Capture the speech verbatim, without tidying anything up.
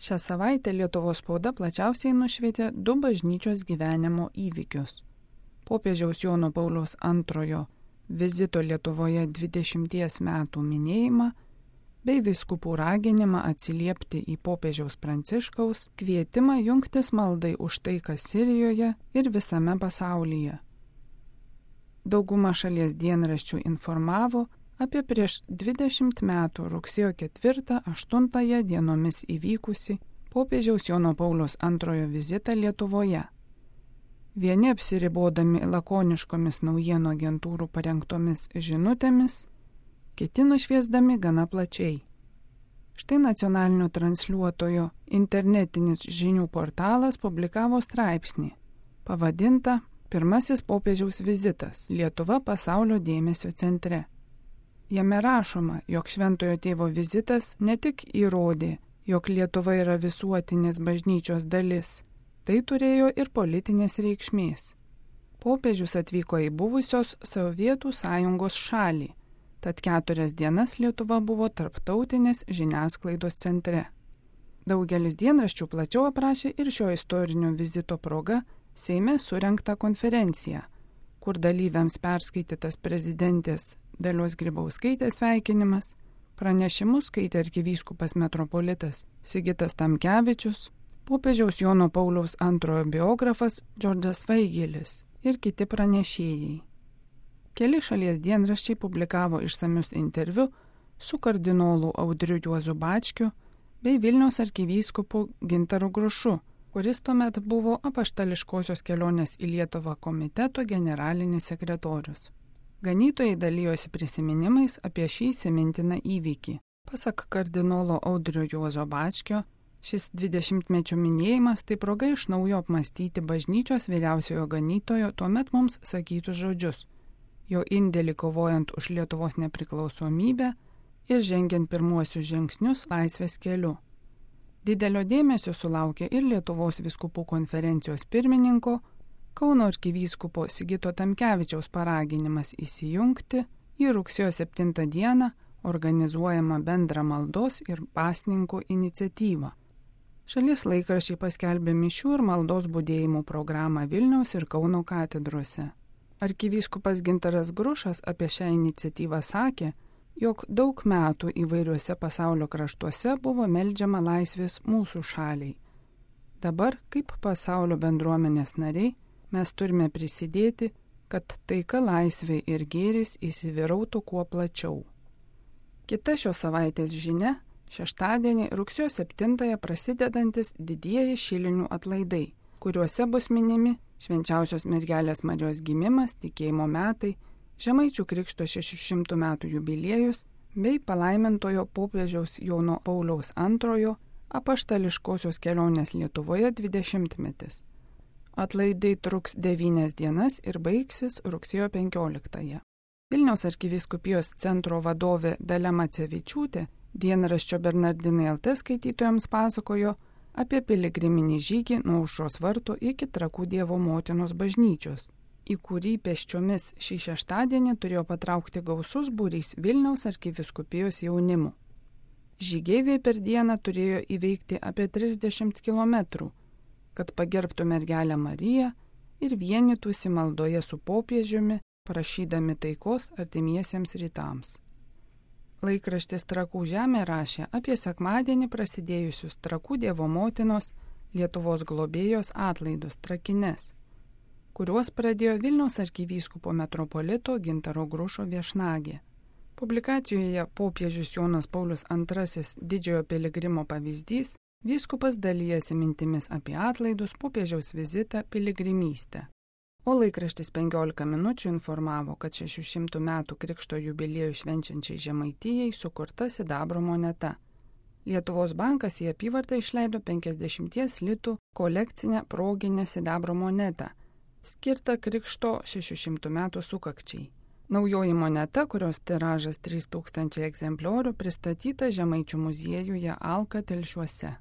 Šią savaitę Lietuvos spauda plačiausiai nušvietė du bažnyčios gyvenimo įvykius. Popiežiaus Jono Pauliaus antrojo vizito Lietuvoje dvidešimties metų minėjimą bei vyskupų raginimą atsiliepti į popiežiaus Pranciškaus kvietimą jungtis maldai už taiką Sirijoje ir visame pasaulyje. Dauguma šalies dienraščių informavo apie prieš dvidešimt metų rugsėjo ketvirtą aštuntąją dienomis įvykusi popiežiaus Jono Pauliaus antrojo vizitą Lietuvoje. Vieni apsiribodami lakoniškomis naujienų agentūrų parengtomis žinutėmis, kiti nušviesdami gana plačiai. Štai nacionalinio transliuotojo internetinis žinių portalas publikavo straipsnį, pavadintą Pirmasis popiežiaus vizitas – Lietuva pasaulio dėmesio centre. Jame rašoma, jog Šventojo Tėvo vizitas ne tik įrodė, jog Lietuva yra visuotinės bažnyčios dalis, tai turėjo ir politinės reikšmės. Popiežius atvyko į buvusios Sovietų sąjungos šalį, tad keturias dienas Lietuva buvo tarptautinės žiniasklaidos centre. Daugelis dienraščių plačiau aprašė ir šio istorinio vizito proga Seime surengtą konferenciją, kur dalyviams perskaitytas prezidentės Dalios Grybauskaitės sveikinimas, pranešimus skaitė arkivyskupas metropolitas Sigitas Tamkevičius, popiežiaus Jono Pauliaus antrojo biografas Džordžas Vaigelis ir kiti pranešėjai. Keli šalies dienraščiai publikavo išsamius interviu su kardinolu Audriu Juozu Bačkiu bei Vilniaus arkivyskupu Gintaru Grušu, kuris tuomet buvo apaštališkosios kelionės į Lietuvą komiteto generalinis sekretorius. Ganytojai dalijosi prisiminimais apie šį įsimintiną įvykį. Pasak kardinolo Audrio Juozo Bačkio, šis dvidešimtmečio minėjimas tai proga iš naujo apmastyti bažnyčios vyriausiojo ganytojo tuomet mums sakytus žodžius, jo indėlį kovojant už Lietuvos nepriklausomybę ir žengiant pirmuosius žingsnius laisvės keliu. Didelio dėmesio sulaukė ir Lietuvos vyskupų konferencijos pirmininko, Kauno arkivyskupo Sigito Tamkevičiaus paraginimas įsijungti į rugsėjo septintą dieną organizuojamą bendrą maldos ir pasninkų iniciatyvą. Šalies laikraščiai paskelbė mišių ir maldos budėjimų programą Vilniaus ir Kauno katedrose. Arkivyskupas Gintaras Grušas apie šią iniciatyvą sakė, jog daug metų įvairiuose pasaulio kraštuose buvo meldžiama laisvės mūsų šaliai. Dabar, kaip pasaulio bendruomenės nariai, mes turime prisidėti, kad taika, laisvė ir gėris įsivyrautų kuo plačiau. Kita šios savaitės žinia – šeštadienį rugsėjo septintąją prasidedantis didieji šilinių atlaidai, kuriuose bus minimi Švenčiausios mergelės Marijos gimimas, tikėjimo metai, Žemaičių krikšto šešių šimtų metų jubiliejus bei palaimintojo popiežiaus Jono Pauliaus antrojo apaštališkosios kelionės Lietuvoje dvidešimtmetis. Atlaidai truks devynias dienas ir baigsis rugsėjo penkioliktąją. Vilniaus arkivyskupijos centro vadovė Dalia Macevičiūtė dienraščio Bernardinai L T skaitytojams pasakojo apie piligriminį žygį nuo Aušros vartų iki Trakų Dievo motinos bažnyčios, į kurį pėsčiomis šį šeštadienį turėjo patraukti gausus būrys Vilniaus arkivyskupijos jaunimų. Žygeiviai per dieną turėjo įveikti apie trisdešimt kilometrų, kad pagerbtų mergelę Mariją ir vienytųsi maldoje su popiežiumi, prašydami taikos artimiesiems rytams. Laikraštis Trakų žemė rašė apie sekmadienį prasidėjusius Trakų Dievo motinos Lietuvos globėjos atlaidus Trakines, kuriuos pradėjo Vilniaus arkivyskupo metropolito Gintaro Grušo viešnagė. Publikacijoje popiežius Jonas Paulius antrasis didžiojo piligrimo pavyzdys, vyskupas dalijasi mintimis apie atlaidus, popiežiaus vizitą, piligrimystę. O laikraštis penkiolika minučių informavo, kad šešių šimtų metų krikšto jubiliejų švenčiančiai Žemaitijai sukurta sidabro moneta. Lietuvos bankas į apyvartą išleido penkiasdešimties litų kolekcinę proginę sidabro monetą, skirtą krikšto šešių šimtų metų sukakčiai. Naujoji moneta, kurios tiražas trys tūkstančiai egzempliorių, pristatyta Žemaičių muziejuje Alka Telšiuose.